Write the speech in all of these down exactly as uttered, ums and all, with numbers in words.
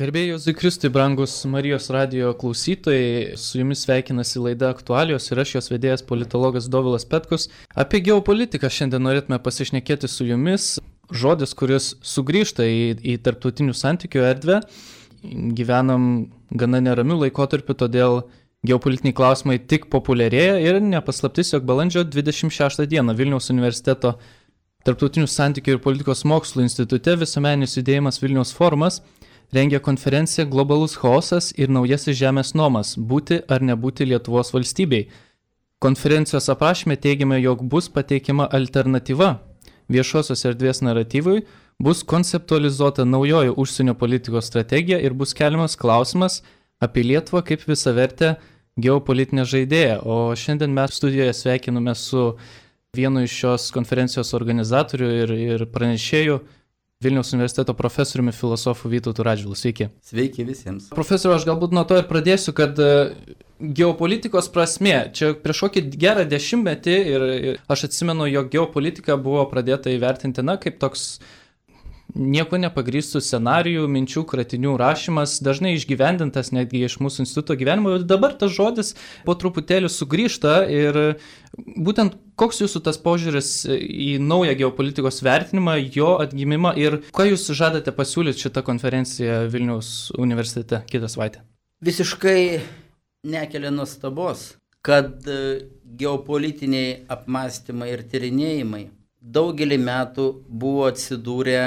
Garbėjai Jėzui Kristui, brangus Marijos radijo klausytojai, su jumis sveikinasi laida Aktualijos ir aš jos vedėjas politologas Dovilas Petkus. Apie geopolitiką šiandien norėtume pasišnekėti su jumis. Žodis, kuris sugrįžta į, į tarptautinių santykių erdvę. Gyvenam gana neramių laikotarpių, todėl geopolitiniai klausimai tik populiarėja ir nepaslaptis, jog balandžio dvidešimt šeštą dieną Vilniaus universiteto Tarptautinių santykių ir politikos mokslų institute visuomeninis judėjimas Vilniaus forumas rengia konferenciją Globalus chaosas ir naujasis žemės nomas – būti ar nebūti Lietuvos valstybei. Konferencijos aprašyme teigiame, jog bus pateikiama alternatyva viešosios erdvės naratyvui, bus konceptualizuota naujoji užsienio politikos strategija ir bus keliamas klausimas apie Lietuvą kaip visavertę geopolitinę žaidėją. O šiandien mes studijoje sveikiname su vienu iš šios konferencijos organizatorių ir, ir pranešėjų, Vilniaus universiteto profesoriumi filosofu Vytautu Radžvilu. Sveiki. Sveiki visiems. Profesoriu, aš galbūt nuo to ir pradėsiu, kad geopolitikos prasmė, čia prieš kokį gerą dešimtmetį ir, ir aš atsimenu, jog geopolitika buvo pradėta įvertinti, na, kaip toks nieko nepagrįstų scenarijų, minčių, kratinių rašymas, dažnai išgyvendintas netgi iš mūsų instituto gyvenimo. Dabar tas žodis po truputėlį sugrįžta ir būtent koks jūsų tas požiūris į naują geopolitikos vertinimą, jo atgimimą ir ką jūs žadate pasiūlyti šitą konferenciją Vilniaus universitete kitą savaitę? Visiškai nekelia nuostabos, kad geopolitiniai apmąstymai ir tyrinėjimai daugelį metų buvo atsidūrę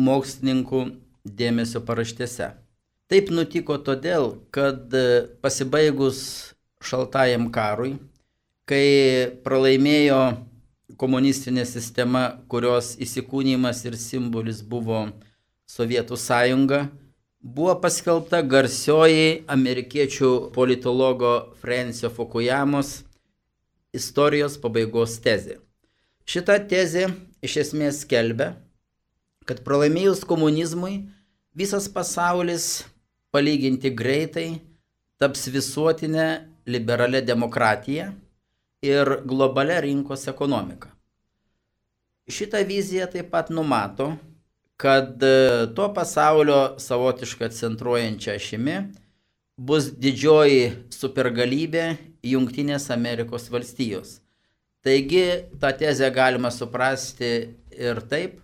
mokslininkų dėmesio paraštėse. Taip nutiko todėl, kad pasibaigus šaltajam karui, kai pralaimėjo komunistinė sistema, kurios įsikūnymas ir simbolis buvo Sovietų sąjunga, buvo paskelbta garsioji amerikiečių politologo Francio Fukuyamos istorijos pabaigos tezė. Šita tezė iš esmės skelbia, kad pralaimėjus komunizmui visas pasaulis palyginti greitai taps visuotinė liberalia demokratija ir globalia rinkos ekonomika. Šita vizija taip pat numato, kad to pasaulio savotiškai centruojančia ašimi bus didžioji supergalybė Jungtinės Amerikos valstijos. Taigi, tą tezę galima suprasti ir taip,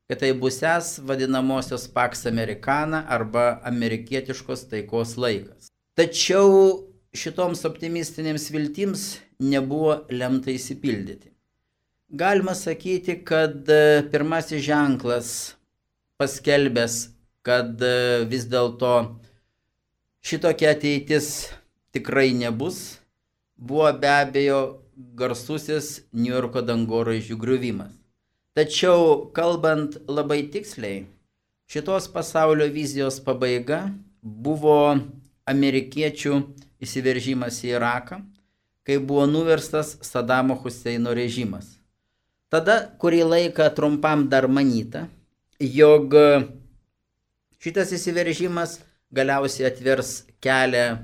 kad tai busęs vadinamosios Pax Americana arba amerikietiškos taikos laikas. Tačiau šitoms optimistinėms viltims nebuvo lemta įsipildyti. Galima sakyti, kad pirmasis ženklas paskelbęs, kad vis dėlto šitokia ateitis tikrai nebus, buvo be abejo garsusis Niujorko dangoraižių griuvimas. Tačiau, kalbant labai tiksliai, šitos pasaulio vizijos pabaiga buvo amerikiečių įsiveržimas į Iraką, kai buvo nuverstas Sadamo Huseino režimas. Tada, kurį laiką trumpam dar manyta, jog šitas įsiveržimas galiausiai atvers kelią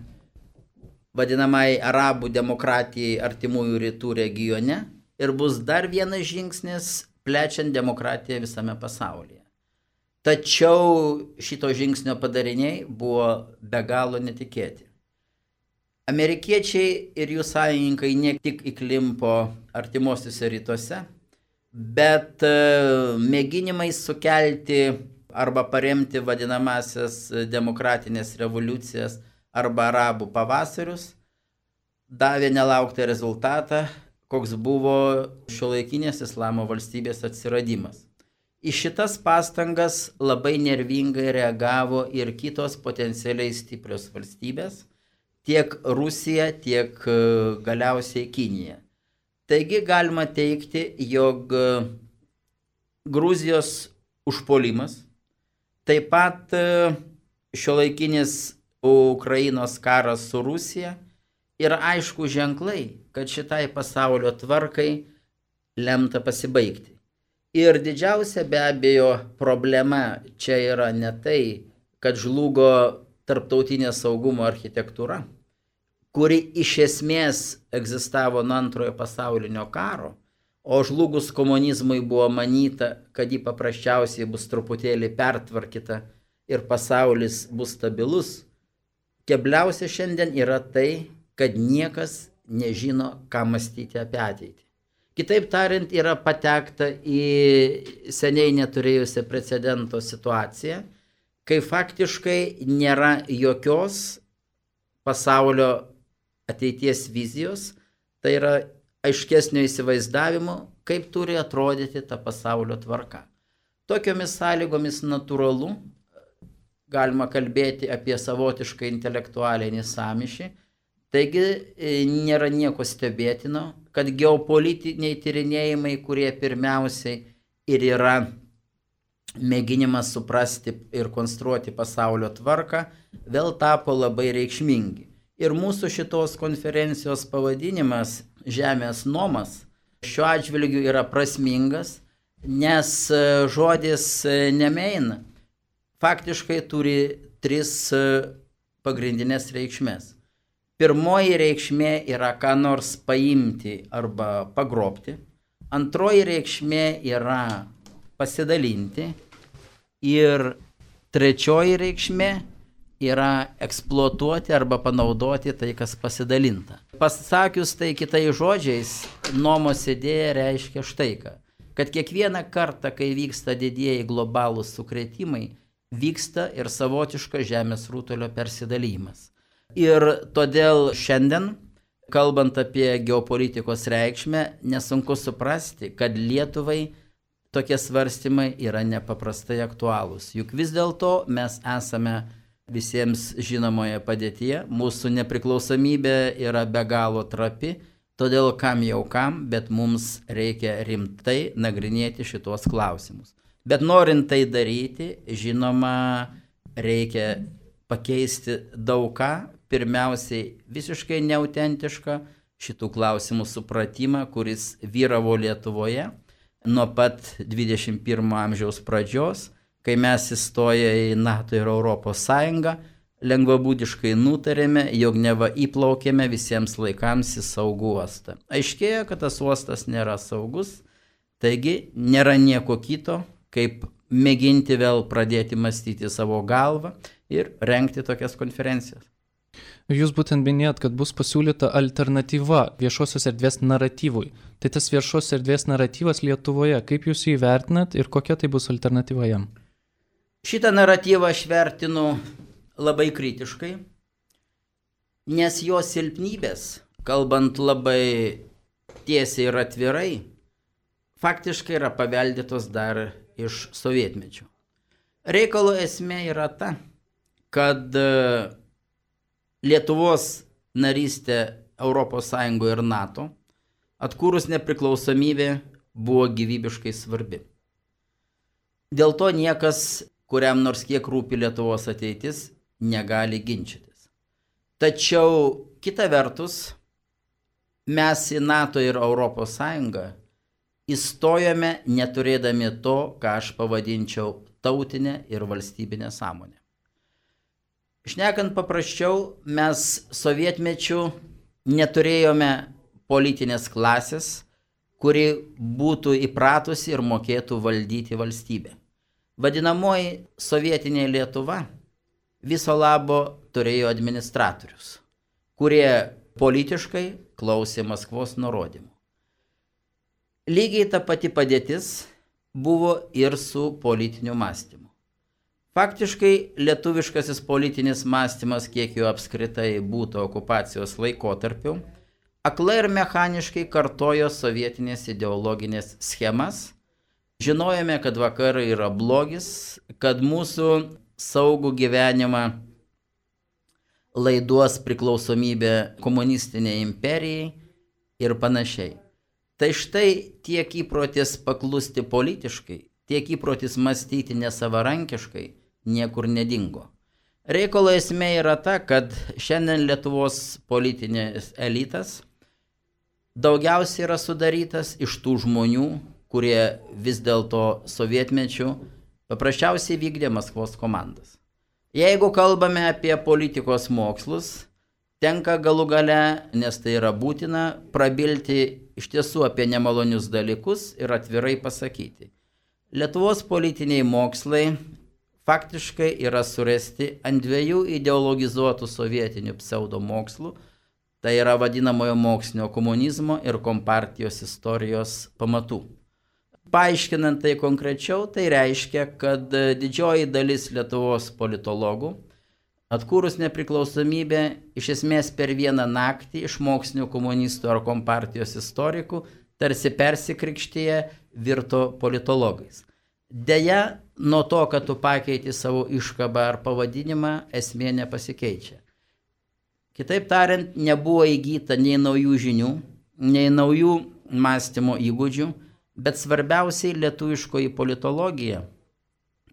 vadinamai arabų demokratijai artimųjų rytų regione ir bus dar vienas žingsnis plečiant demokratiją visame pasaulyje. Tačiau šito žingsnio padariniai buvo be galo netikėti. Amerikiečiai ir jų sąjungininkai ne tik įklimpo artimuosiuose rytuose, bet mėginimai sukelti arba paremti vadinamasias demokratinės revoliucijas arba arabų pavasarius davė nelauktą rezultatą, koks buvo šiuolaikinės islamo valstybės atsiradimas. Į šitas pastangas labai nervingai reagavo ir kitos potencialiai stiprios valstybės, tiek Rusija, tiek galiausiai Kinija. Taigi galima teigti, jog Gruzijos užpuolimas, taip pat šiuolaikinis Ukrainos karas su Rusija ir aišku ženklai, kad šitai pasaulio tvarkai lemta pasibaigti. Ir didžiausia be abejo problema čia yra ne tai, kad žlugo tarptautinė saugumo architektūra, kuri iš esmės egzistavo nuo antrojo pasaulinio karo, o žlugus komunizmui buvo manyta, kad ji paprasčiausiai bus truputėlį pertvarkyta ir pasaulis bus stabilus. Kebliausia šiandien yra tai, kad niekas nežino, ką mąstyti apie ateitį. Kitaip tariant, yra patekta į seniai neturėjusią precedento situaciją, kai faktiškai nėra jokios pasaulio ateities vizijos, tai yra aiškesnio įsivaizdavimo, kaip turi atrodyti ta pasaulio tvarka. Tokiomis sąlygomis natūralu, galima kalbėti apie savotišką intelektualinį sąmyšį, taigi nėra nieko stebėtino, kad geopolitiniai tyrinėjimai, kurie pirmiausiai ir yra mėginimas suprasti ir konstruoti pasaulio tvarką, vėl tapo labai reikšmingi. Ir mūsų šitos konferencijos pavadinimas Žemės nomas šiuo atžvilgiu yra prasmingas, nes žodis nemein faktiškai turi tris pagrindinės reikšmės. Pirmoji reikšmė yra ką nors paimti arba pagrobti. Antroji reikšmė yra pasidalinti. Ir trečioji reikšmė yra eksploatuoti arba panaudoti tai, kas pasidalinta. Pasakius tai kitais žodžiais, nomos idėja reiškia štai ką. Kad kiekvieną kartą, kai vyksta didieji globalūs sukrėtimai, vyksta ir savotiškas žemės rutulio persidalymas. Ir todėl šiandien, kalbant apie geopolitikos reikšmę, nesunku suprasti, kad Lietuvai tokie svarstymai yra nepaprastai aktualūs. Juk vis dėlto mes esame visiems žinomoje padėtyje, mūsų nepriklausomybė yra be galo trapi, todėl kam jau kam, bet mums reikia rimtai nagrinėti šitos klausimus. Bet norint tai daryti, žinoma, reikia pakeisti daug ką, pirmiausiai visiškai neautentišką šitų klausimų supratimą, kuris vyravo Lietuvoje nuo pat dvidešimt pirmo amžiaus pradžios, kai mes įstoję į NATO ir Europos Sąjungą, lengvabūdiškai nutarėme, jog neva įplaukėme visiems laikams į saugų uostą. Aiškėjo, kad tas uostas nėra saugus, taigi nėra nieko kito, kaip mėginti vėl pradėti mąstyti savo galvą ir rengti tokias konferencijas. Jūs būtent minėjot, kad bus pasiūlyta alternatyva viešosios erdvės naratyvui. Tai tas viešos erdvės naratyvas Lietuvoje, kaip jūs jį vertinat ir kokia tai bus alternatyva jam? Šitą naratyvą aš vertinu labai kritiškai, nes jo silpnybės, kalbant labai tiesiai ir atvirai, faktiškai yra paveldėtos dar iš sovietmečio. Reikalo esmė yra ta, kad Lietuvos narystė Europos Sąjungoje ir NATO atkūrus nepriklausomybę buvo gyvybiškai svarbi. Dėl to niekas, kuriam nors kiek rūpi Lietuvos ateitis, negali ginčytis. Tačiau kita vertus, mes į NATO ir Europos Sąjungą įstojome neturėdami to, ką aš pavadinčiau tautinę ir valstybinę sąmonę. Šnekant paprasčiau, mes sovietmečiu neturėjome politinės klasės, kuri būtų įpratusi ir mokėtų valdyti valstybę. Vadinamoji sovietinė Lietuva viso labo turėjo administratorius, kurie politiškai klausė Maskvos nurodymų. Lygiai ta pati padėtis buvo ir su politiniu mąstymu. Faktiškai lietuviškasis politinis mąstymas, kiek jo apskritai būtų okupacijos laikotarpiu, aklai ir mechaniškai kartojo sovietinės ideologinės schemas. Žinojome, kad vakarai yra blogis, kad mūsų saugų gyvenimą laiduos priklausomybė komunistiniai imperijai ir panašiai. Tai štai tiek įprotis paklusti politiškai, tiek įprotis mąstyti nesavarankiškai niekur nedingo. Reikalo esmė yra ta, kad šiandien Lietuvos politinės elitas daugiausiai yra sudarytas iš tų žmonių, kurie vis dėlto sovietmečiu paprasčiausiai vykdė Maskvos komandas. Jeigu kalbame apie politikos mokslus, tenka galų gale, nes tai yra būtina, prabilti iš tiesų apie nemalonius dalykus ir atvirai pasakyti. Lietuvos politiniai mokslai faktiškai yra suresti ant dviejų ideologizuotų sovietinių pseudomokslų, tai yra vadinamojo mokslinio komunizmo ir kompartijos istorijos pamatų. Paaiškinant tai konkrečiau, tai reiškia, kad didžioji dalis Lietuvos politologų, atkūrus nepriklausomybę, iš esmės per vieną naktį iš mokslinių komunistų ar kompartijos istorikų tarsi persikrikštyje virto politologais. Deja, nuo to, kad tu pakeiti savo iškabą ar pavadinimą, esmė nepasikeičia. Kitaip tariant, nebuvo įgyta nei naujų žinių, nei naujų mąstymo įgūdžių, bet svarbiausiai lietuviškoji politologija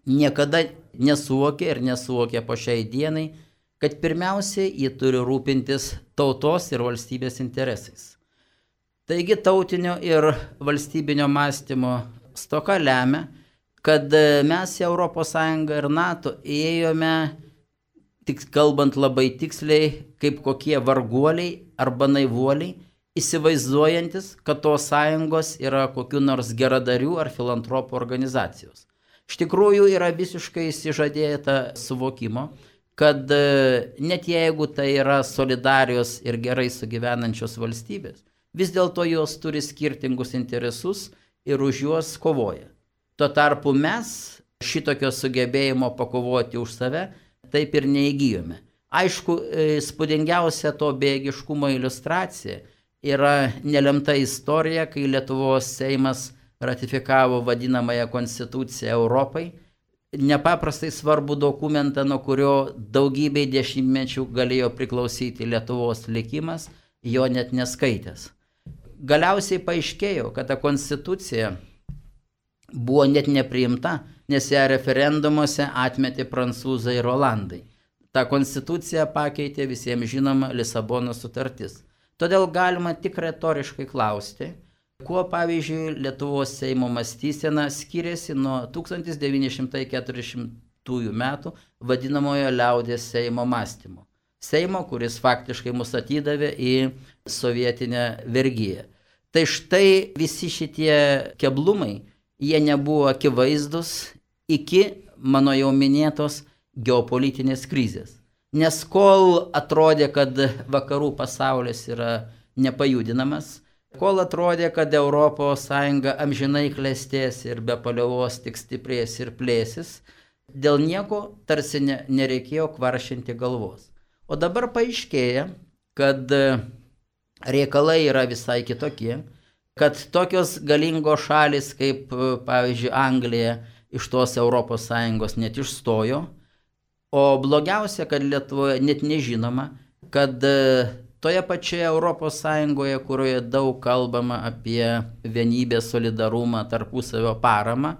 niekada nesuvokė ir nesuvokė po šiai dienai, kad pirmiausiai ji turi rūpintis tautos ir valstybės interesais. Taigi tautinio ir valstybinio mąstymo stoka lemia, kad mes į Europos Sąjungą ir NATO įėjome, tik kalbant labai tiksliai, kaip kokie varguoliai arba naivuoliai, įsivaizduojantis, kad tos sąjungos yra kokių nors geradarių ar filantropų organizacijos. Iš tikrųjų yra visiškai išsižadėta suvokimo, kad net jeigu tai yra solidarios ir gerai sugyvenančios valstybės, vis dėlto jos turi skirtingus interesus ir už juos kovoja. Tuo tarpu mes šitokio sugebėjimo pakovoti už save taip ir neįgyjome. Aišku, spūdingiausia to bejėgiškumo iliustracija yra nelemta istorija, kai Lietuvos Seimas ratifikavo vadinamąją Konstituciją Europai, nepaprastai svarbų dokumentą, nuo kurio daugybei dešimtmečių galėjo priklausyti Lietuvos likimas, jo net neskaitęs. Galiausiai paaiškėjo, kad ta Konstitucija buvo net nepriimta, nes ją referendumuose atmetė prancūzai ir olandai. Ta Konstitucija pakeitė visiems žinoma Lisabonos sutartis. Todėl galima tik retoriškai klausti, kuo, pavyzdžiui, Lietuvos Seimo mąstysena skiriasi nuo tūkstantis devyni šimtai keturiasdešimtųjų metų vadinamojo liaudies Seimo mąstymo. Seimo, kuris faktiškai mus atidavė į sovietinę vergiją. Tai štai visi šitie keblumai, jie nebuvo akivaizdus iki mano jau minėtos geopolitinės krizės. Nes kol atrodė, kad vakarų pasaulis yra nepajudinamas, kol atrodė, kad Europos Sąjunga amžinai klestės ir be paliovos tik stiprės ir plėsis, dėl nieko tarsi ne, nereikėjo kvaršinti galvos. O dabar paaiškėja, kad reikalai yra visai kitokie, kad tokios galingos šalis kaip, pavyzdžiui, Anglija iš tos Europos Sąjungos net išstojo, o blogiausia, kad Lietuvoje net nežinoma, kad toje pačioje Europos Sąjungoje, kurioje daug kalbama apie vienybę, solidarumą, tarpusavio paramą,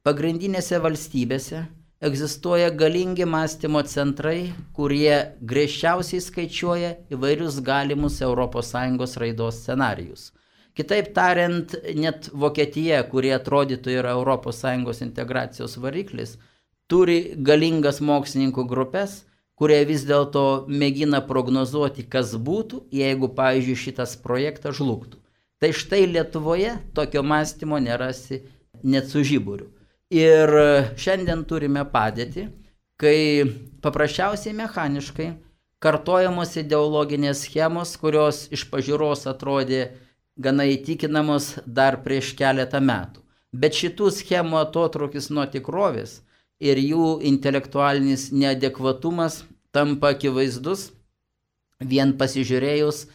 pagrindinėse valstybėse egzistuoja galingi mąstymo centrai, kurie griežčiausiai skaičiuoja įvairius galimus Europos Sąjungos raidos scenarijus. Kitaip tariant, net Vokietija, kurie atrodytų yra Europos Sąjungos integracijos variklis, turi galingas mokslininkų grupės, kurie vis dėlto mėgina prognozuoti, kas būtų, jeigu, pavyzdžiui, šitas projektas žlugtų. Tai štai Lietuvoje tokio mąstymo nerasi net su žiburiu. Ir šiandien turime padėtį, kai paprasčiausiai mechaniškai kartojamos ideologinės schemos, kurios iš pažiūros atrodė gana įtikinamos dar prieš keletą metų. Bet šitų schemų atotrūkis nuo tikrovės ir jų intelektualinis neadekvatumas tampa akivaizdus vien pasižiūrėjus,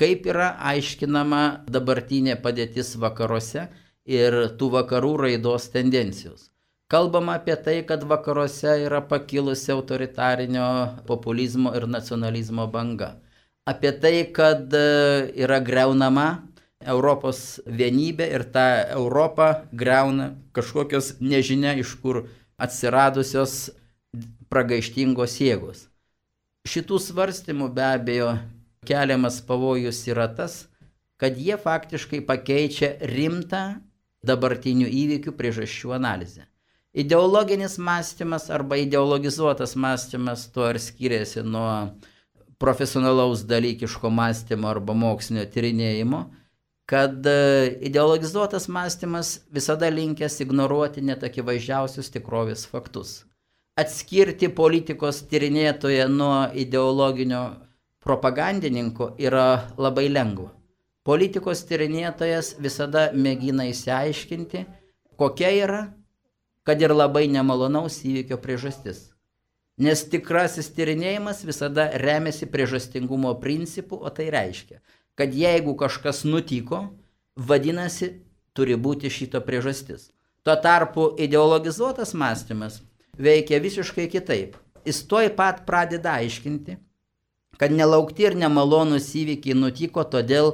kaip yra aiškinama dabartinė padėtis vakaruose ir tų vakarų raidos tendencijos. Kalbama apie tai, kad vakaruose yra pakilusi autoritarinio populizmo ir nacionalizmo banga. Apie tai, kad yra greunama Europos vienybė ir tą Europą greuna kažkokios nežinia iš kur atsiradusios pragaištingos jėgos. Šitų svarstymų be abejo keliamas pavojus yra tas, kad jie faktiškai pakeičia rimtą dabartinių įvykių priežasčių analizę. Ideologinis mąstymas arba ideologizuotas mąstymas tuo ir skiriasi nuo profesionalaus dalykiško mąstymo arba mokslinio tyrinėjimo, kad ideologizuotas mąstymas visada linkęs ignoruoti net akivaizdžiausius tikrovės faktus. atskirti politikos tyrinėtoją nuo ideologinio propagandininko yra labai lengva. Politikos tyrinėtojas visada mėgina įsiaiškinti, kokia yra, kad ir labai nemalonaus įvykio priežastis. Nes tikrasis tyrinėjimas visada remiasi priežastingumo principu, o tai reiškia, kad jeigu kažkas nutiko, vadinasi, turi būti šito priežastis. Tuo tarpu ideologizuotas mąstymas veikia visiškai kitaip. Jis tuoj pat pradeda aiškinti, kad nelaukti ir nemalonus įvykiai nutiko todėl,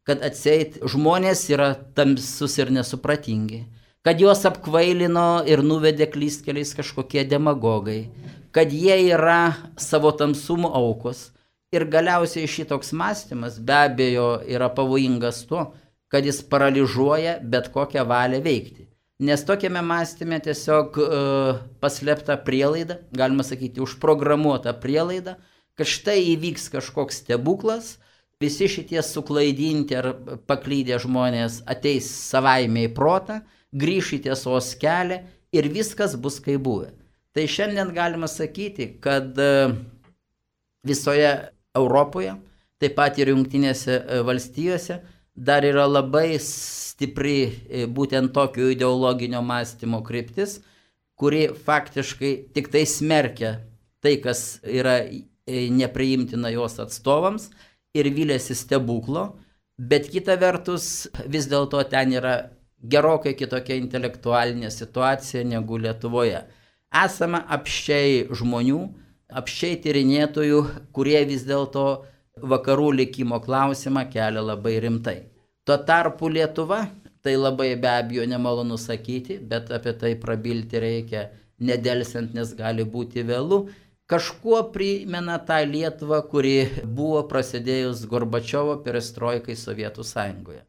kad atseit žmonės yra tamsus ir nesupratingi, kad juos apkvailino ir nuvedė klystkeliais kažkokie demagogai, kad jie yra savo tamsumo aukos. Ir galiausiai šitoks mąstymas be abejo yra pavojingas tuo, kad jis paralyžuoja bet kokią valią veikti. Nes tokiame mąstyme tiesiog uh, paslėpta prielaida, galima sakyti, užprogramuota prielaida, kad štai įvyks kažkoks stebuklas, visi šitie suklaidinti ar paklydę žmonės ateis savaime į protą, grįš į tiesos kelią ir viskas bus kaip buvę. Tai šiandien galima sakyti, kad visoje Europoje, taip pat ir Jungtinėse valstijose, dar yra labai stipri būtent tokio ideologinio mąstymo kryptis, kuri faktiškai tik tai smerkia tai, kas yra nepriimtina jos atstovams ir vylėsi stebuklo, bet kita vertus vis dėlto ten yra gerokai kitokia intelektualinė situacija negu Lietuvoje. Esama apsčiai žmonių, apsčiai tyrinėtojų, kurie vis dėlto vakarų likimo klausimą kelia labai rimtai. Tuo tarpu Lietuva, tai labai be abejo nemalonu sakyti, bet apie tai prabilti reikia nedelsiant, nes gali būti vėlu, kažkuo primena tą Lietuvą, kuri buvo prasidėjus Gorbačiovo perestroikai Sovietų Sąjungoje.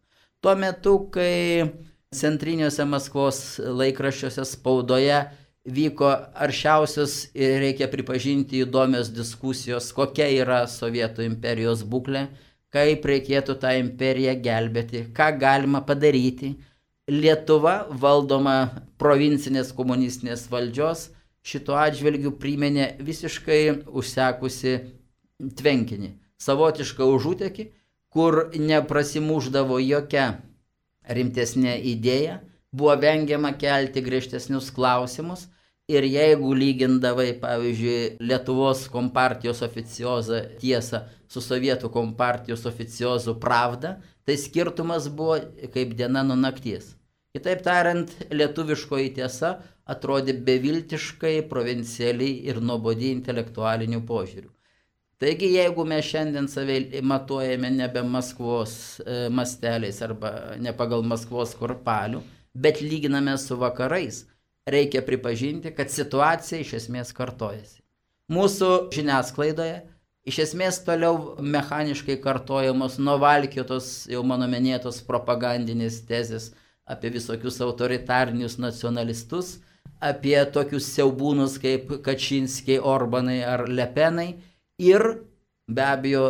Tuo metu, kai centriniuose Maskvos laikraščiuose spaudoje vyko aršiausios ir reikia pripažinti įdomios diskusijos, kokia yra Sovietų imperijos būklė, kaip reikėtų tą imperiją gelbėti, ką galima padaryti. Lietuva, valdoma provincinės komunistinės valdžios, šituo atžvilgiu priminė visiškai užsekusi tvenkinį, savotišką užutekį, kur neprasimuždavo jokia rimtesnė idėja, buvo vengiama kelti griežtesnius klausimus ir jeigu lygindavai, pavyzdžiui, Lietuvos kompartijos oficiozą tiesą su Sovietų kompartijos oficiozu Pravda, tai skirtumas buvo kaip diena nuo nakties. Kitaip tariant, lietuviškoji tiesa atrodė beviltiškai, provincialiai ir nuobodi intelektualinių požiūrių. Taigi, jeigu mes šiandien save matuojame nebe Maskvos e, masteliais arba ne pagal Maskvos kurpalių, bet lyginame su vakarais, reikia pripažinti, kad situacija iš esmės kartojasi. Mūsų žiniasklaidoje iš esmės toliau mechaniškai kartojamos nuvalkiotos, jau mano minėtos propagandinės tezės apie visokius autoritarinius nacionalistus, apie tokius siaubūnus kaip Kačinskiai, Orbanai ar Lepenai ir be abejo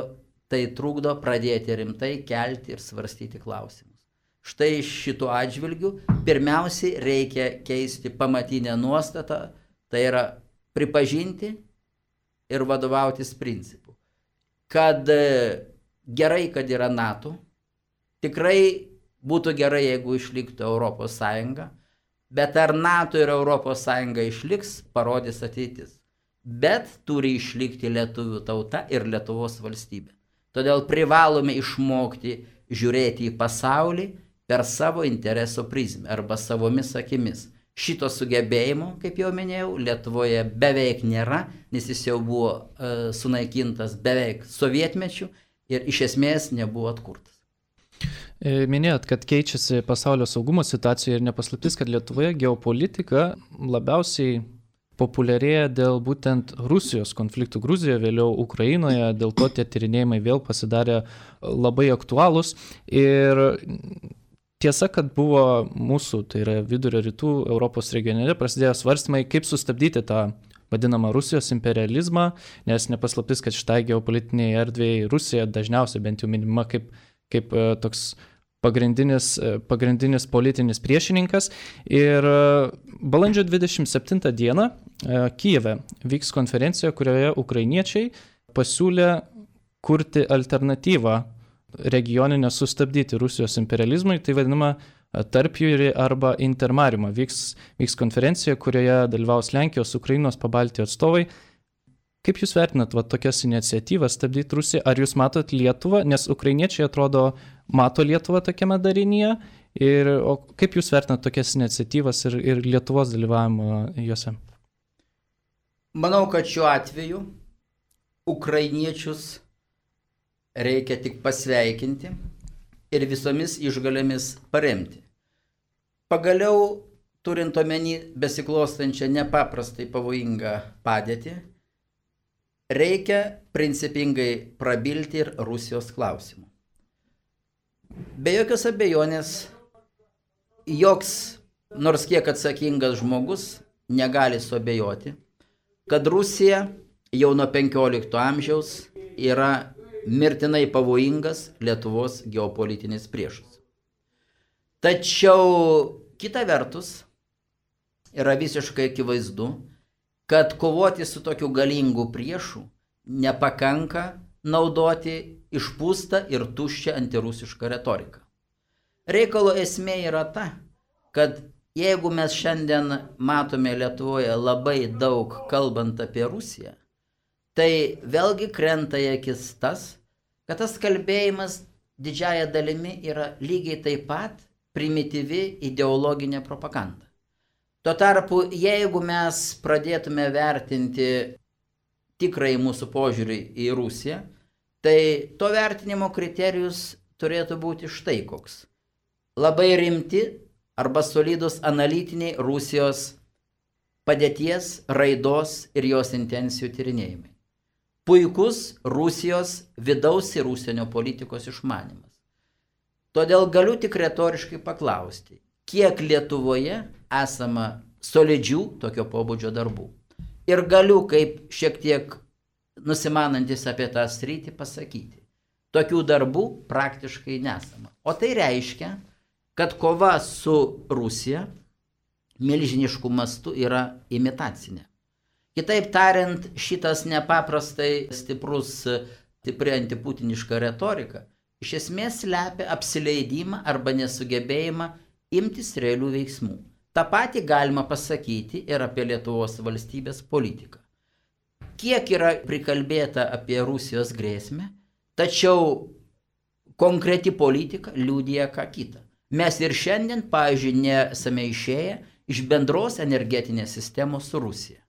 tai trukdo pradėti rimtai kelti ir svarstyti klausimus. Štai šituo atžvilgiu pirmiausiai reikia keisti pamatinę nuostatą, tai yra pripažinti ir vadovautis principu. Kad gerai, kad yra NATO, tikrai būtų gerai, jeigu išliktų Europos Sąjunga, bet ar NATO ir Europos Sąjunga išliks, parodys ateitis. Bet turi išlikti lietuvių tauta ir Lietuvos valstybė. Todėl privalome išmokti žiūrėti į pasaulį per savo intereso prizmę arba savomis akimis. Šito sugebėjimo, kaip jau minėjau, Lietuvoje beveik nėra, nes jis jau buvo e, sunaikintas beveik sovietmečiu ir iš esmės nebuvo atkurtas. Minėjot, kad keičiasi pasaulio saugumo situacija ir nepaslaptis, kad Lietuvoje geopolitika labiausiai populiarėja dėl būtent Rusijos konfliktų Gruzijoje, vėliau Ukrainoje, dėl to tie tyrinėjimai vėl pasidarė labai aktualūs. Ir tiesa, kad buvo mūsų, tai yra vidurio rytų Europos regione, prasidėjo svarstymai, kaip sustabdyti tą vadinamą Rusijos imperializmą, nes nepaslaptis, kad šitai geopolitiniai erdvėjai Rusija dažniausiai bent jau minima kaip, kaip toks pagrindinis, pagrindinis politinis priešininkas. Ir balandžio dvidešimt septintą dieną Kijeve vyks konferencija, kurioje ukrainiečiai pasiūlė kurti alternatyvą regioninę sustabdyti Rusijos imperializmui, tai vadinama tarpjūrį arba intermariumą. Vyks, vyks konferencija, kurioje dalyvaus Lenkijos, Ukrainos, Pabaltijo atstovai. Kaip jūs vertinat va, tokias iniciatyvas stabdyti Rusiją? Ar jūs matot Lietuvą? Nes ukrainiečiai atrodo mato Lietuvą tokiame darinyje. Ir, o kaip jūs vertinat tokias iniciatyvas ir, ir Lietuvos dalyvavimą juose? Manau, kad šiuo atveju ukrainiečius reikia tik pasveikinti ir visomis išgalėmis paremti. Pagaliau, turint omeny besiklostančią nepaprastai pavojingą padėtį, reikia principingai prabilti ir Rusijos klausimu. Be jokios abejonės, joks nors kiek atsakingas žmogus negali suabejoti, kad Rusija jau nuo penkiolikto amžiaus yra mirtinai pavojingas Lietuvos geopolitinis priešas. Tačiau kita vertus yra visiškai akivaizdu, kad kovoti su tokiu galingu priešu nepakanka naudoti išpūstą ir tuščią antirusišką retoriką. Reikalo esmė yra ta, kad jeigu mes šiandien matome Lietuvoje labai daug kalbant apie Rusiją, tai vėlgi krenta į akis tas, kad tas kalbėjimas didžiąja dalimi yra lygiai taip pat primityvi ideologinė propaganda. Tuo tarpu, jeigu mes pradėtume vertinti tikrai mūsų požiūrį į Rusiją, tai to vertinimo kriterijus turėtų būti štai koks. Labai rimti arba solidus analitiniai Rusijos padėties, raidos ir jos intencijų tyrinėjimai. Puikus Rusijos vidaus ir užsienio politikos išmanymas. Todėl galiu tik retoriškai paklausti, kiek Lietuvoje esama solidžių tokio pobūdžio darbų. Ir galiu, kaip šiek tiek nusimanantis apie tą sritį, pasakyti, tokių darbų praktiškai nesama. O tai reiškia, kad kova su Rusija milžinišku mastu yra imitacinė. Kitaip tariant, šitas nepaprastai stiprus, stipri antiputiniška retorika iš esmės slepia apsileidimą arba nesugebėjimą imtis realių veiksmų. Ta pati galima pasakyti ir apie Lietuvos valstybės politiką. Kiek yra prikalbėta apie Rusijos grėsmę, tačiau konkreti politika liudija ką kitą. Mes ir šiandien, pavyzdžiui, nesame išėję iš bendros energetinės sistemos su Rusija.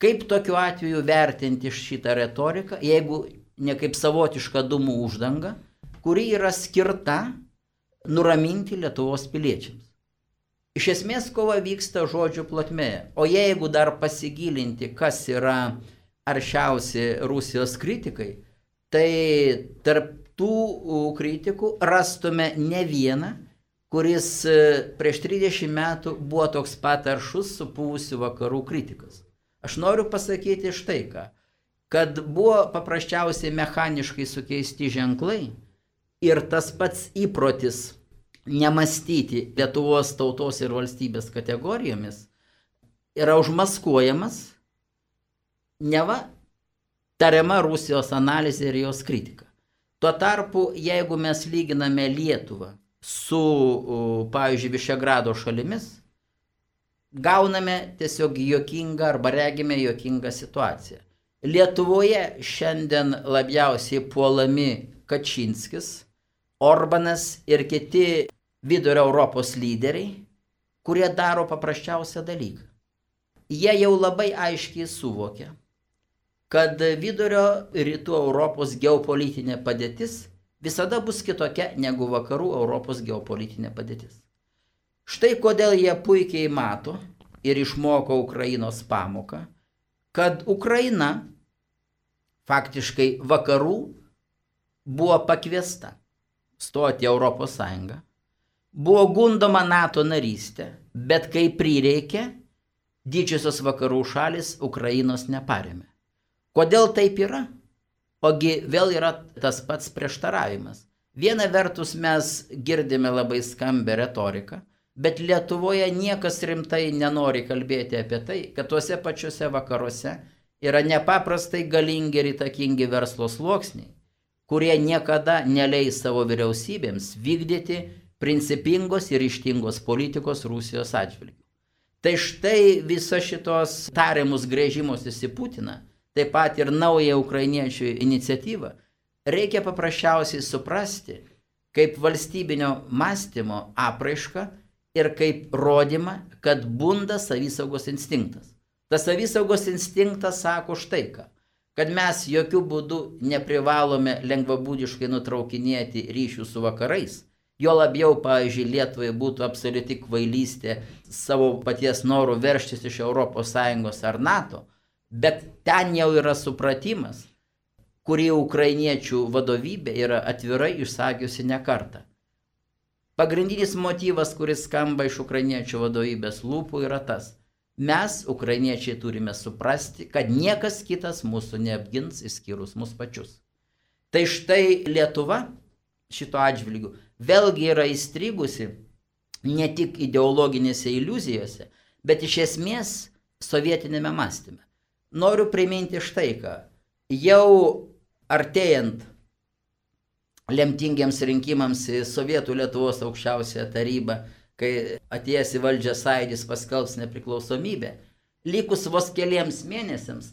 Kaip tokiu atveju vertinti šitą retoriką, jeigu ne kaip savotiška dūmų uždanga, kuri yra skirta nuraminti Lietuvos piliečiams. Iš esmės kova vyksta žodžių plotmėje, o jeigu dar pasigilinti, kas yra aršiausi Rusijos kritikai, tai tarp tų kritikų rastume ne vieną, kuris prieš trisdešimt metų buvo toks pat aršus supuvusių vakarų kritikas. Aš noriu pasakyti štai ką, kad buvo paprasčiausiai mechaniškai sukeisti ženklai ir tas pats įprotis nemastyti Lietuvos tautos ir valstybės kategorijomis yra užmaskuojamas neva tariama Rusijos analizė ir jos kritika. Tuo tarpu, jeigu mes lyginame Lietuvą su, pavyzdžiui, Višegrado šalimis, gauname tiesiog juokingą arba regime juokingą situaciją. Lietuvoje šiandien labiausiai puolami Kačinskis, Orbanas ir kiti vidurio Europos lyderiai, kurie daro paprasčiausią dalyką. Jie jau labai aiškiai suvokia, kad vidurio rytų Europos geopolitinė padėtis visada bus kitokia negu vakarų Europos geopolitinė padėtis. Štai kodėl jie puikiai mato ir išmoko Ukrainos pamoką, kad Ukraina faktiškai vakarų buvo pakviesta stoti Europos Sąjungą, buvo gundoma NATO narystė, bet kai prireikė, didžiosios vakarų šalis Ukrainos neparėmė. Kodėl taip yra? Ogi vėl yra tas pats prieštaravimas. Viena vertus mes girdime labai skambę retoriką, Bet Lietuvoje niekas rimtai nenori kalbėti apie tai, kad tuose pačiuose vakaruose yra nepaprastai galingi ir įtakingi verslo sluoksniai, kurie niekada neleis savo vyriausybėms vykdyti principingos ir ryžtingos politikos Rusijos atžvilgiu. Tai štai visa šitos tariamus grėžimusis į Putiną, taip pat ir naują ukrainiečių iniciatyvą, reikia paprasčiausiai suprasti kaip valstybinio mąstymo apraišką ir kaip rodymą, kad bunda savisaugos instinktas. Tas savisaugos instinktas sako štai ką, kad mes jokių būdų neprivalome lengvabūdiškai nutraukinėti ryšių su vakarais. Jo labiau, pavyzdžiui, Lietuvai būtų absoliuti kvailystė savo paties norų verštis iš Europos Sąjungos ar NATO, bet ten jau yra supratimas, kurį ukrainiečių vadovybė yra atvirai išsakiusi ne kartą. Pagrindinis motyvas, kuris skamba iš ukrainiečių vadovybės lūpų, yra tas. Mes, ukrainiečiai, turime suprasti, kad niekas kitas mūsų neapgins išskyrus mus pačius. Tai štai Lietuva šito atžvilgiu vėlgi yra įstrigusi ne tik ideologinėse iliuzijose, bet iš esmės sovietinėme mąstyme. Noriu priminti štai ką. Jau artėjant lemtingiems rinkimams į Sovietų Lietuvos aukščiausiąją tarybą, kai atėjęs į valdžią Sąjūdis paskelbs nepriklausomybę, likus vos keliems mėnesiams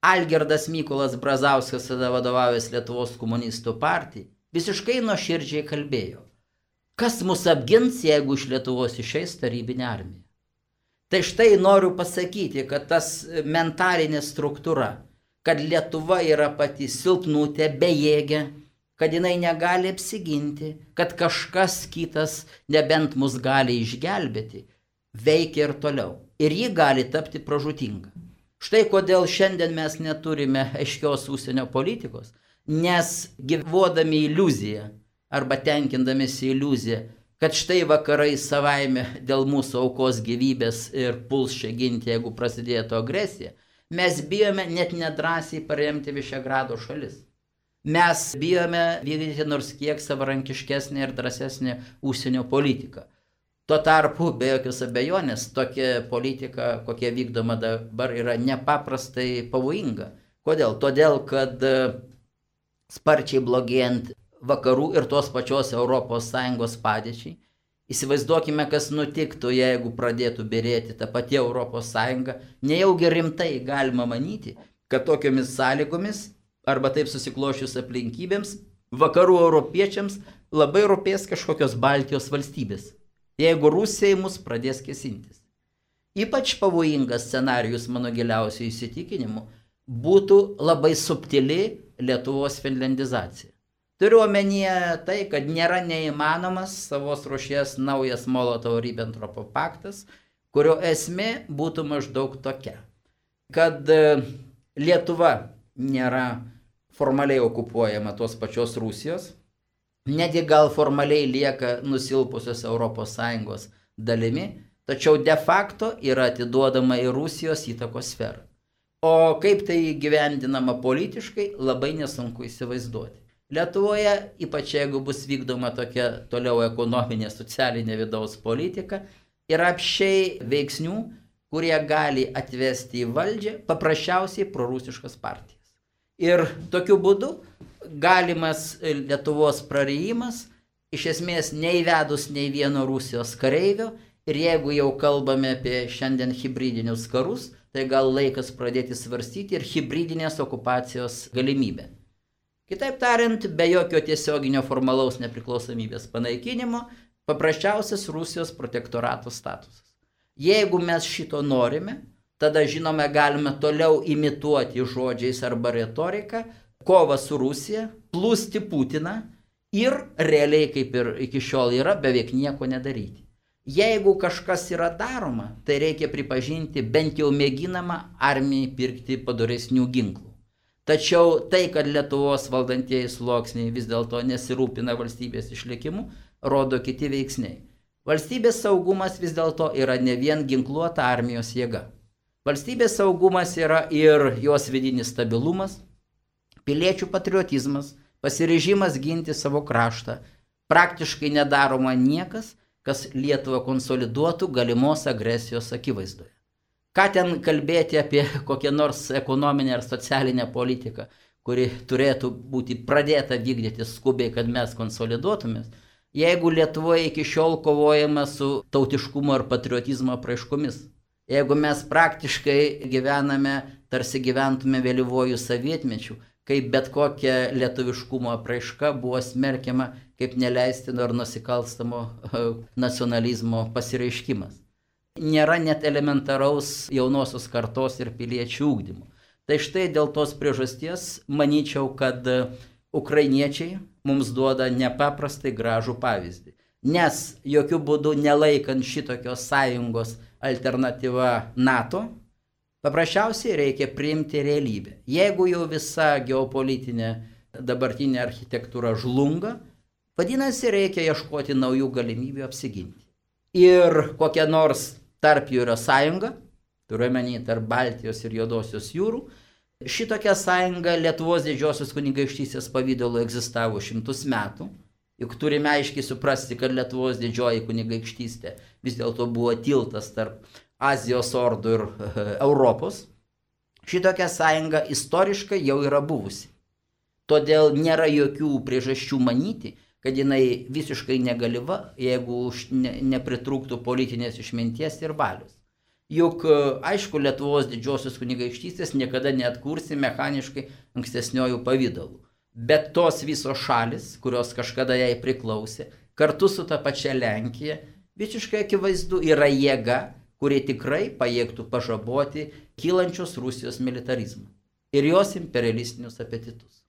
Algirdas Mykolas Brazauskas, tada vadovavęs Lietuvos komunistų partijai, visiškai nuoširdžiai kalbėjo, kas mus apgins, jeigu iš Lietuvos išeis tarybinė armija. Tai štai noriu pasakyti, kad tas mentalinė struktūra, kad Lietuva yra pati silpnutė, bejėgė, kad jinai negali apsiginti, kad kažkas kitas nebent mus gali išgelbėti, veikia ir toliau. Ir ji gali tapti pražūtinga. Štai kodėl šiandien mes neturime aiškios užsienio politikos, nes gyvuodami iliuziją arba tenkindamėsi iliuziją, kad štai vakarai savaime dėl mūsų aukos gyvybės ir puls čia ginti, jeigu prasidėtų agresija, mes bijome net nedrąsiai paremti Višegrado šalis. Mes bijome vykdyti nors kiek savarankiškesnį ir drąsesnį užsienio politiką. Tuo tarpu, be jokios abejonės, tokia politika, kokia vykdoma dabar, yra nepaprastai pavojinga. Kodėl? Todėl, kad sparčiai blogėjant vakarų ir tos pačios Europos Sąjungos padėčiai, įsivaizduokime, kas nutiktų, jeigu pradėtų byrėti ta pati Europos Sąjunga, nejaugi rimtai galima manyti, kad tokiomis sąlygomis arba taip susiklošius aplinkybėms, vakarų europiečiams labai rūpės kažkokios Baltijos valstybės, jeigu Rusija mus pradės kėsintis. Ypač pavojingas scenarijus, mano giliausių įsitikinimu, būtų labai subtili Lietuvos finlandizacija. Turiu omenyje tai, kad nėra neįmanomas savos rūšies naujas Molotovo-Ribbentropo paktas, kurio esmė būtų maždaug tokia, kad Lietuva nėra formaliai okupuojama tos pačios Rusijos, netgi gal formaliai lieka nusilpusios Europos Sąjungos dalimi, tačiau de facto yra atiduodama į Rusijos įtakos sferą. O kaip tai gyvendinama politiškai, labai nesunku įsivaizduoti. Lietuvoje, ypač jeigu bus vykdoma tokia toliau ekonominė, socialinė vidaus politika, yra apšiai veiksnių, kurie gali atvesti į valdžią paprasčiausiai prorusiškas partijas. Ir tokiu būdu galimas Lietuvos prarijimas, iš esmės neįvedus nei vieno Rusijos kareivio, ir jeigu jau kalbame apie šiandien hibridinius karus, tai gal laikas pradėti svarstyti ir hibridinės okupacijos galimybę. Kitaip tariant, be jokio tiesioginio formalaus nepriklausomybės panaikinimo, paprasčiausias Rusijos protektorato statusas. Jeigu mes šito norime, tada žinome galime toliau imituoti žodžiais arba retoriką, kovą su Rusija, plūsti Putiną ir realiai, kaip ir iki šiol yra, beveik nieko nedaryti. Jeigu kažkas yra daroma, tai reikia pripažinti bent jau mėginama armijai pirkti padoresnių ginklų. Tačiau tai, kad Lietuvos valdantieji sluoksniai vis dėlto nesirūpina valstybės išlikimu, rodo kiti veiksniai. Valstybės saugumas vis dėlto yra ne vien ginkluota armijos jėga. Valstybės saugumas yra ir jos vidinis stabilumas, piliečių patriotizmas, pasiryžimas ginti savo kraštą. Praktiškai nedaroma niekas, kas Lietuvą konsoliduotų galimos agresijos akivaizdoje. Ką ten kalbėti apie kokią nors ekonominę ar socialinę politiką, kuri turėtų būti pradėta vykdyti skubiai, kad mes konsoliduotumės, jeigu Lietuvoje iki šiol kovojama su tautiškumo ir patriotizmo apraiškomis. Jeigu mes praktiškai gyvename, tarsi gyventume vėlyvojų sovietmečių, kai bet kokia lietuviškumo apraiška buvo smerkiama kaip neleistino ar nusikalstamo nacionalizmo pasireiškimas. Nėra net elementaraus jaunosios kartos ir piliečių ugdymo. Tai štai dėl tos priežasties manyčiau, kad ukrainiečiai mums duoda nepaprastai gražų pavyzdį. Nes jokių būdų nelaikant šitokios sąjungos alternatyva NATO, paprasčiausiai reikia priimti realybę. Jeigu jau visa geopolitinė dabartinė architektūra žlunga, vadinasi, reikia ieškoti naujų galimybių apsiginti. Ir kokia nors tarp jų yra sąjunga, turiuomenį tarp Baltijos ir Juodosios jūrų, šitokia sąjunga Lietuvos didžiosios kunigaikštystės pavidalu egzistavo šimtus metų, juk turime aiškiai suprasti, kad Lietuvos didžioji kunigaikštystė vis dėlto buvo tiltas tarp Azijos ordų ir Europos. Šitokia sąjunga istoriškai jau yra buvusi. Todėl nėra jokių priežasčių manyti, kad jinai visiškai negaliva, jeigu ne, nepritrūktų politinės išminties ir valios. Juk, aišku, Lietuvos didžiosios kunigaikštystės niekada neatkursi mechaniškai ankstesniojų pavydalų. Bet tos visos šalis, kurios kažkada jai priklausė, kartu su ta pačia Lenkija, visiškai akivaizdu yra jėga, kurie tikrai pajėgtų pažaboti kylančios Rusijos militarizmą ir jos imperialistinius apetitus.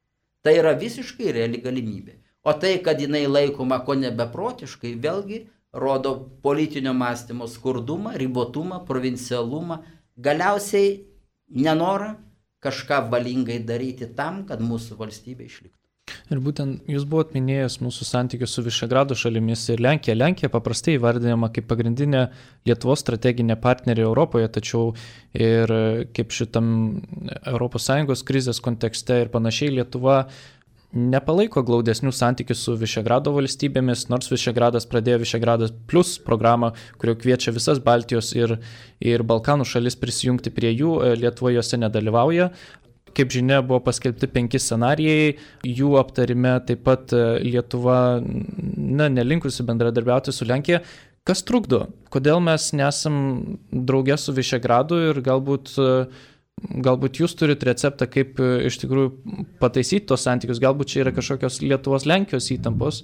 Tai yra visiškai reali galimybė. O tai, kad jinai laikoma ko nebeprotiškai, vėlgi rodo politinio mąstymo skurdumą, ribotumą, provincialumą, galiausiai nenorą kažką valingai daryti tam, kad mūsų valstybė išliktų. Ir būtent jūs buvot minėjęs mūsų santykius su Višegrado šalimis ir Lenkija. Lenkija paprastai įvardinama kaip pagrindinė Lietuvos strateginė partnerė Europoje, tačiau ir kaip šitam Europos Sąjungos krizės kontekste ir panašiai Lietuva nepalaiko glaudesnių santykių su Višegrado valstybėmis, nors Višegradas pradėjo Višegradas plus programą, kurio kviečia visas Baltijos ir, ir Balkanų šalis prisijungti prie jų, Lietuva juose nedalyvauja. Kaip žinia, buvo paskelbti penki scenarijai, jų aptarime taip pat Lietuva na, nelinkusi bendradarbiauti su Lenkija. Kas trukdo? Kodėl mes nesam drauge su Višegradu ir galbūt, galbūt jūs turit receptą, kaip iš tikrųjų pataisyti tos santykius, galbūt čia yra kažkokios Lietuvos-Lenkijos įtampos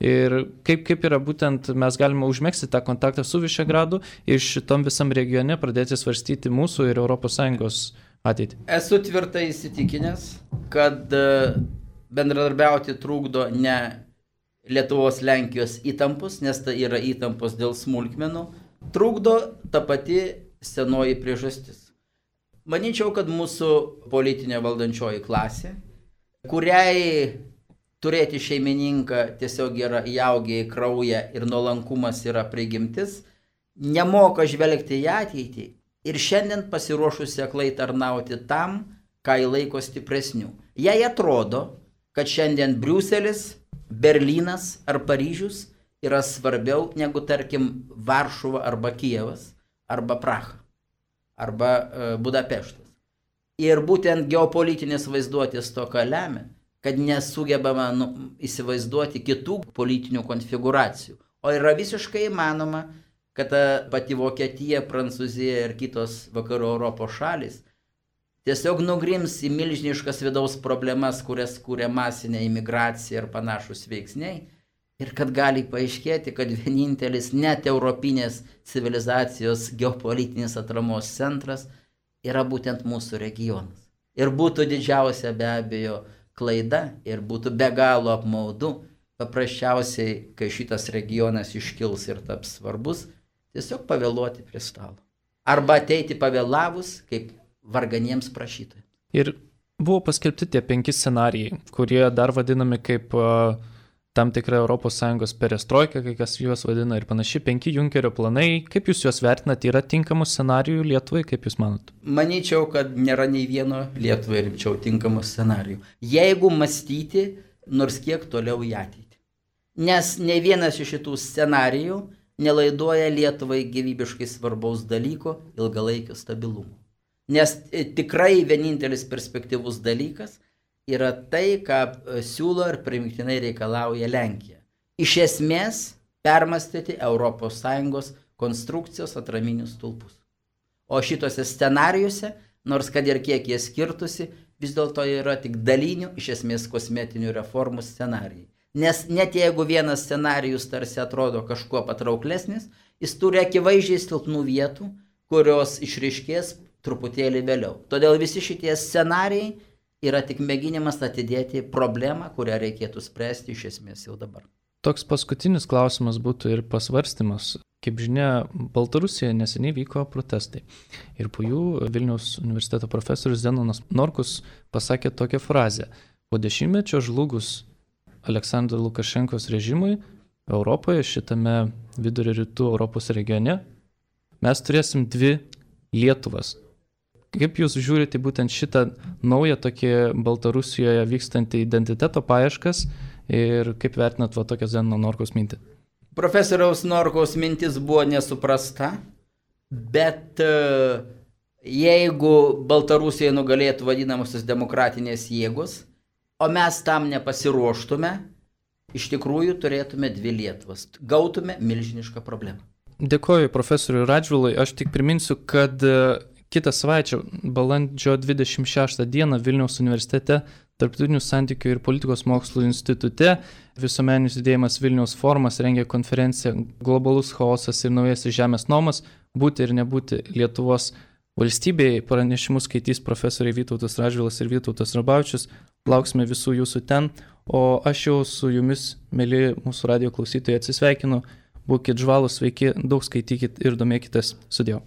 ir kaip, kaip yra būtent mes galime užmegzti tą kontaktą su Višegradu ir šitom visam regione pradėti svarstyti mūsų ir Europos Sąjungos ateitį. Esu tvirtai įsitikinęs, kad bendradarbiauti trukdo ne Lietuvos-Lenkijos įtampos, nes tai yra įtampos dėl smulkmenų, trukdo ta pati senoji priežastis. Manyčiau, kad mūsų politinė valdančioji klasė, kuriai turėti šeimininką tiesiog yra įaugę į kraują ir nuolankumas yra prigimtis, nemoka žvelgti į ateitį ir šiandien pasiruošusi aklai tarnauti tam, ką įlaiko stipresnių. Jai atrodo, kad šiandien Briuselis, Berlynas ar Paryžius yra svarbiau negu, tarkim, Varšuva arba Kijevas arba Praha arba e, Budapeštas. Ir būtent geopolitinės vaizduotės toka lemia, kad nesugebama nu, įsivaizduoti kitų politinių konfiguracijų. O yra visiškai įmanoma, kad ta pati Vokietija, Prancūzija ir kitos vakarų Europos šalis tiesiog nugrims į milžiniškas vidaus problemas, kurias kūrė masinė imigracija ir panašus veiksniai. Ir kad gali paaiškėti, kad vienintelis net europinės civilizacijos geopolitinis atramos centras yra būtent mūsų regionas. Ir būtų didžiausia be abejo klaida ir būtų be galo apmaudu, paprasčiausiai, kai šitas regionas iškils ir taps svarbus, tiesiog pavėluoti prie stalo. Arba ateiti pavėlavus, kaip varganiems prašytojams. Ir buvo paskelbti tie penki scenarijai, kurie dar vadinami kaip uh, tam tikra Europos Sąjungos perestroika, kai kas juos vadina ir panašiai, penki Junkerio planai. Kaip jūs juos vertinate? Yra tinkamų scenarijų Lietuvai, kaip jūs manot? Manyčiau, kad nėra nei vieno Lietuvai rimčiau tinkamų scenarijų. Jeigu mąstyti nors kiek toliau į ateitį. Nes nei vienas iš šitų scenarijų nelaiduoja Lietuvai gyvybiškai svarbaus dalyko - ilgalaikio stabilumo. Nes tikrai vienintelis perspektyvus dalykas yra tai, ką siūlo ir primiktinai reikalauja Lenkija. Iš esmės permastyti Europos Sąjungos konstrukcijos atraminius stulpus. O šitose scenarijuose, nors kad ir kiek jie skirtusi, vis dėlto yra tik dalinių, iš esmės kosmetinių reformų scenarijai. Nes net jeigu vienas scenarijus tarsi atrodo kažkuo patrauklesnis, jis turi akivaizdžiai silpnų vietų, kurios išryškės truputėlį vėliau. Todėl visi šitie scenarijai yra tik mėginimas atidėti problemą, kurią reikėtų spręsti iš esmės jau dabar. Toks paskutinis klausimas būtų ir pasvarstymas. Kaip žinia, Baltarusijoje neseniai vyko protestai. Ir po jų Vilniaus universiteto profesorius Zenonas Norkus pasakė tokią frazę. Po dešimtmečio žlugus Aleksandro Lukašenkos režimui Europoje, šitame vidurio rytų Europos regione, mes turėsim dvi Lietuvas. Kaip jūs žiūrite būtent šitą naują tokį Baltarusijoje vykstantį identiteto paieškas ir kaip vertinat va tokią Zenono Norkaus mintį? Profesoriaus Norkaus mintis buvo nesuprasta, bet jeigu Baltarusijoje nugalėtų vadinamosios demokratinės jėgos, o mes tam nepasiruoštume, iš tikrųjų turėtume dvi Lietuvas, gautume milžinišką problemą. Dėkoju profesoriui Radžvilui, aš tik priminsiu, kad kitą savaitę, balandžio dvidešimt šeštą dieną Vilniaus universitete Tarptautinių santykių ir politikos mokslų institute visuomeninis judėjimas Vilniaus forumas rengia konferenciją Globalus chaosas ir naujasis žemės nomas - būti ir nebūti Lietuvos valstybėje. Pranešimus skaitys profesoriai Vytautas Radžvilas ir Vytautas Rabavičius. Lauksime visų jūsų ten. O aš jau su jumis, mėly mūsų radijo klausytojai, atsisveikinu. Būkit žvalūs, sveiki, daug skaitykit ir domėkitės. Sudėjau.